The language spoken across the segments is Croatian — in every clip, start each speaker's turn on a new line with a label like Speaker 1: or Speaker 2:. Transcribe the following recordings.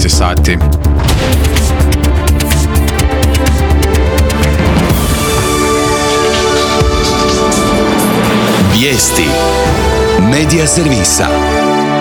Speaker 1: je sati.
Speaker 2: Vijesti Medija servisa.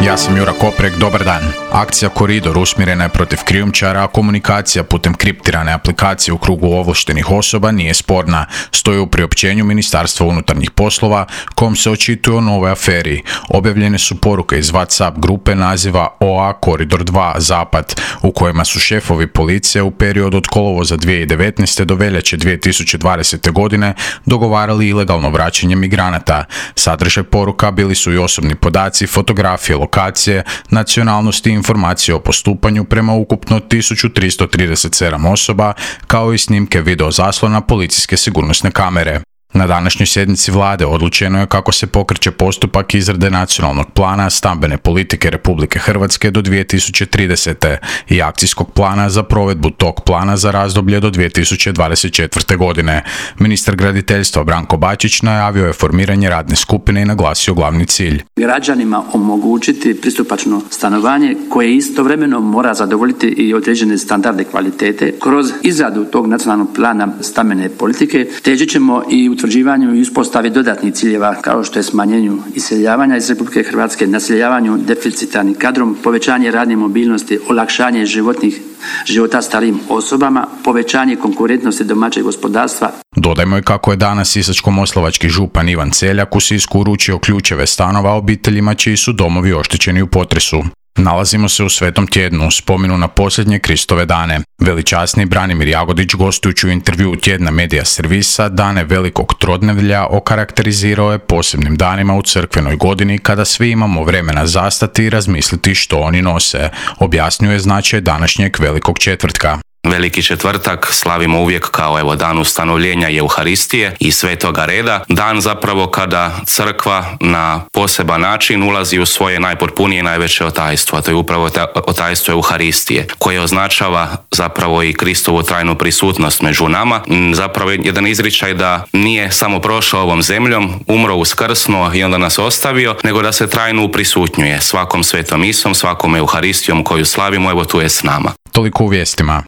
Speaker 1: Ja sam Jura Koprek, dobar dan. Akcija Koridor usmjerena je protiv krijumčara, a komunikacija putem kriptirane aplikacije u krugu ovlaštenih osoba nije sporna. Stoji u priopćenju Ministarstva unutarnjih poslova, kom se očituje o novoj aferi. Objavljene su poruke iz WhatsApp grupe naziva OA Koridor 2 Zapad, u kojima su šefovi policije u periodu od kolovoza 2019. do veljače 2020. godine dogovarali ilegalno vraćanje migranata. Sadržaj poruka bili su i osobni podaci, fotografije, lokacije, nacionalnosti i informacije o postupanju prema ukupno 1337 osoba, kao i snimke video zaslona policijske sigurnosne kamere. Na današnjoj sjednici vlade odlučeno je kako se pokreće postupak izrade nacionalnog plana stambene politike Republike Hrvatske do 2030. i akcijskog plana za provedbu tog plana za razdoblje do 2024. godine. Ministar graditeljstva Branko Bačić najavio je formiranje radne skupine i naglasio glavni cilj.
Speaker 3: Građanima omogućiti pristupačno stanovanje koje istovremeno mora zadovoljiti i određene standarde kvalitete. Kroz izradu tog nacionalnog plana stambene politike težit ćemo i utvrđivanju i uspostavi dodatnih ciljeva kao što je smanjenju iseljavanja iz Republike Hrvatske, naseljavanju deficitarnim kadrom, povećanje radne mobilnosti, olakšanje života starijim osobama, povećanje konkurentnosti domaćeg gospodarstva.
Speaker 1: Dodajmo i kako je danas sisačko-moslavački župan Ivan Celjak u Sisku uručio ključeve stanova obiteljima čiji su domovi oštećeni u potresu. Nalazimo se u Svetom tjednu, u spomenu na posljednje Kristove dane. Veličasni Branimir Jagodić, gostujući u intervjuu tjedna Medija servisa, dane Velikog Trodnevlja okarakterizirao je posebnim danima u crkvenoj godini kada svi imamo vremena zastati i razmisliti što oni nose. Objasnio je značaj današnjeg Velikog četvrtka.
Speaker 4: Veliki četvrtak slavimo uvijek kao dan ustanovljenja Euharistije i Svetoga reda, dan zapravo kada crkva na poseban način ulazi u svoje najpotpunije i najveće otajstvo, a to je upravo otajstvo Euharistije, koje označava zapravo i Kristovu trajnu prisutnost među nama, zapravo jedan izričaj da nije samo prošao ovom zemljom, umro, uskrsnuo i onda nas ostavio, nego da se trajno uprisutnjuje svakom svetom misom, svakom Euharistijom koju slavimo, evo tu je s nama.
Speaker 1: Toliko u vijestima.